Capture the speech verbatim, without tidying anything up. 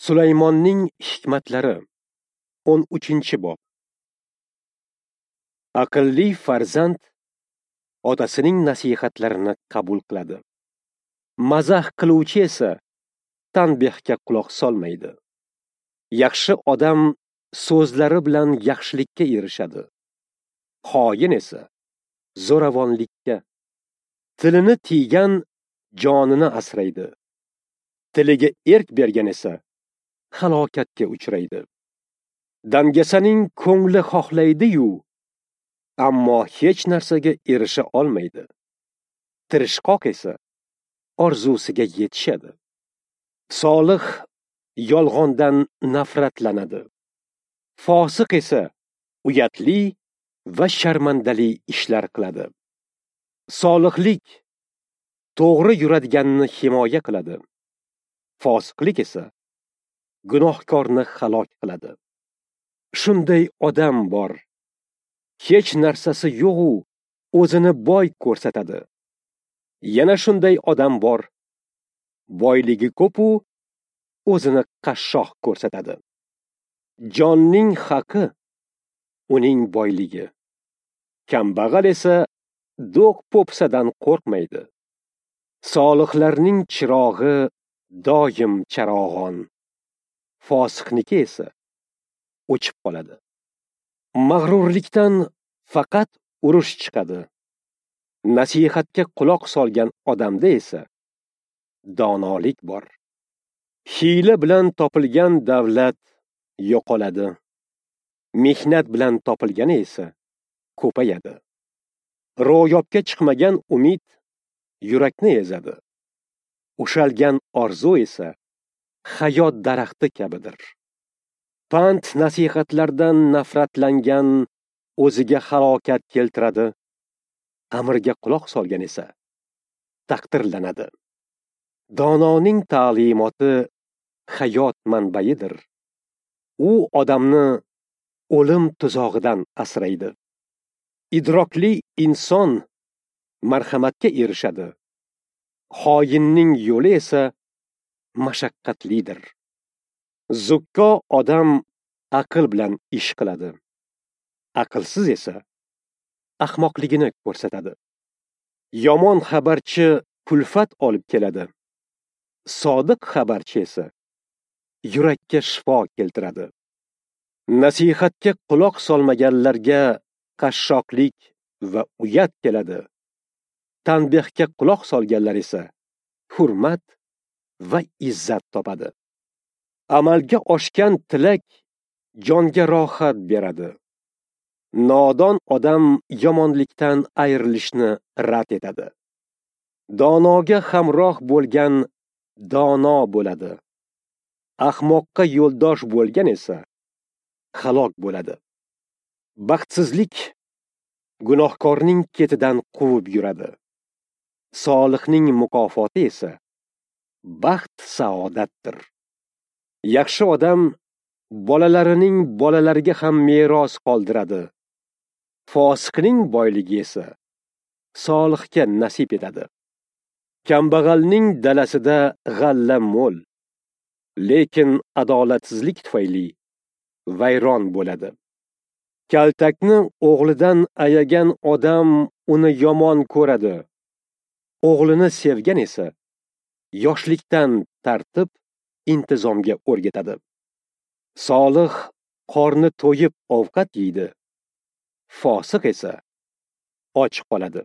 Sulaymonning hikmatlari, o'n uchinchi bob. Aqlli farzand otasining nasihatlarini qabul qiladi. Mazax qiluvchi esa tanbehga quloq solmaydi. Yaxshi odam so'zlari bilan yaxshilikka erishadi. Xoin esa zo'ravonlikka. Tilini tiygan jonini asraydi. Tiliga erk bergan esa halokatga uchraydi. Dangasaning ko'ngli xohlaydi-yu, ammo hech narsaga erisha olmaydi. Tirishqoq esa orzusiga yetishadi. Solih yolg'ondan nafratlanadi. Fosiq esa uyatli va sharmandali ishlar qiladi. Solihlik to'g'ri yuradiganni himoya qiladi. Fosiqlik esa gunohkorni halok qiladi. Shunday odam bor, hech narsasi yo'q-u, o'zini boy ko'rsatadi. Yana shunday odam bor, boyligi ko'p-u, o'zini qashshoq ko'rsatadi. Jonning haqi uning boyligi. Kambag'al esa do'q po'pisadan qo'rqmaydi. Solihlarning chirog'i doim charog'on. Fosiqniki esa o'chib qoladi. Mag'rurlikdan faqat urush chiqadi. Nasihatga quloq solgan odamda esa donolik bor. Hiyla bilan topilgan davlat yo'qoladi. Mehnat bilan topilgani esa ko'payadi. Ro'yobga chiqmagan umid yurakni ezadi. Ushalgan orzu esa hayot daraxti kabidir. Pand nasihatlardan nafratlangan o'ziga halokat keltiradi. Amirga quloq solgan esa taqdirlanadi. Dononing ta'limoti hayot manbayidir. U odamni o'lim tuzog'idan asraydi. Idrokli inson marhamatga erishadi. Xoinning yo'li esa mashaqqatlidir. Zukko odam aql bilan ish qiladi. Aqlsiz esa ahmoqligini ko'rsatadi. Yomon xabarchi kulfat olib keladi. Sodiq xabarchi esa yurakka shifo keltiradi. Nasihatga quloq solmaganlarga qashshoqlik va uyat keladi. Tanbehga quloq solganlar esa hurmat va izzat topadi. Amalga oshgan tilak jonga rohat beradi. Nodon odam yomonlikdan ayrilishni rad etadi. Donoga hamroh bo'lgan dono bo'ladi. Ahmoqqa yo'ldosh bo'lgan esa halok bo'ladi. Baxtsizlik gunohkorning ketidan quvib yuradi. Solihning mukofoti esa baxt saodatdir. Yaxshi odam bolalarining bolalariga ham meros qoldiradi. Fosiqning boyligi esa solihga nasib etadi. Kambag'alning dalasida g'alla mo'l, lekin adolatsizlik tufayli vayron bo'ladi. Kaltakni o'g'lidan ayagan odam uni yomon ko'radi. O'g'lini sevgan esa yoshlikdan tartib intizomga o'rgatadi. Solih qorni to'yib ovqat yeydi. Fosiq esa och qoladi.